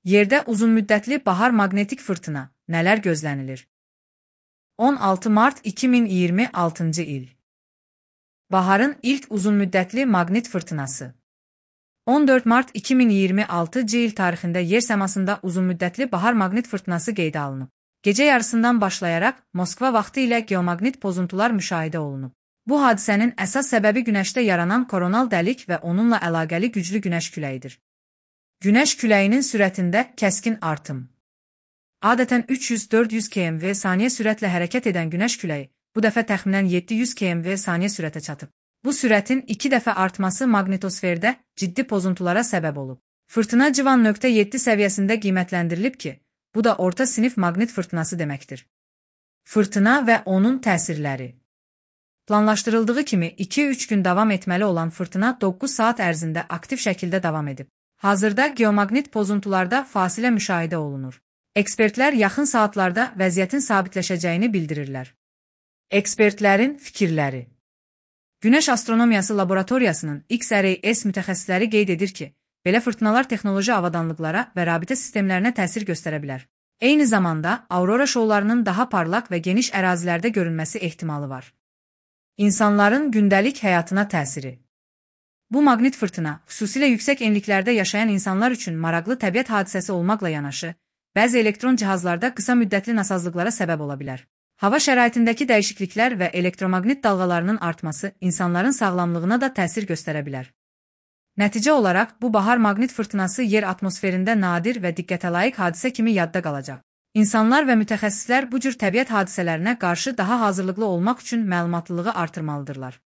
Yerdə uzunmüddətli bahar maqnetik fırtına, nələr gözlənilir? 16 mart 2026-cı il. Baharın ilk uzunmüddətli maqnit fırtınası. 14 mart 2026-cı il tarixində yer səmasında uzunmüddətli bahar maqnit fırtınası qeydə alınıb. Gecə yarısından başlayaraq Moskva vaxtı ilə geomaqnit pozuntular müşahidə olunub. Bu hadisənin əsas səbəbi Günəşdə yaranan koronal dəlik və onunla əlaqəli güclü Günəş küləyidir. Günəş küləyinin sürətində kəskin artım. Adətən 300-400 km/s sürətlə hərəkət edən Günəş küləyi bu dəfə təxminən 700 km/s sürətə çatıb. Bu sürətin 2 dəfə artması maqnitosferdə ciddi pozuntulara səbəb olub. Fırtına Civan.7 səviyyəsində qiymətləndirilib ki, bu da orta sinif maqnit fırtınası deməkdir. Fırtına və onun təsirləri. Planlaşdırıldığı kimi 2-3 gün davam etməli olan fırtına 9 saat ərzində aktiv şəkildə davam edib. Hazırda geomaqnit pozuntularda fasilə müşahidə olunur. Ekspertlər yaxın saatlarda vəziyyətin sabitləşəcəyini bildirirlər. Ekspertlərin fikirləri. Günəş Astronomiyası Laboratoriyasının XRAS mütəxəssisləri qeyd edir ki, belə fırtınalar texnoloji avadanlıqlara və rabitə sistemlərinə təsir göstərə bilər. Eyni zamanda, aurora şoularının daha parlaq və geniş ərazilərdə görünməsi ehtimalı var. İnsanların gündəlik həyatına təsiri. Bu maqnit fırtına, xüsusilə yüksək enliklərdə yaşayan insanlar üçün maraqlı təbiət hadisəsi olmaqla yanaşı, bəzi elektron cihazlarda qısa müddətli nasazlıqlara səbəb ola bilər. Hava şəraitindəki dəyişikliklər və elektromaqnit dalğalarının artması insanların sağlamlığına da təsir göstərə bilər. Nəticə olaraq, bu bahar maqnit fırtınası yer atmosferində nadir və diqqətə layiq hadisə kimi yadda qalacaq. İnsanlar və mütəxəssislər bu cür təbiət hadisələrinə qarşı daha hazırlıqlı olmaq üçün məlumatlılığı artırmalıdırlar.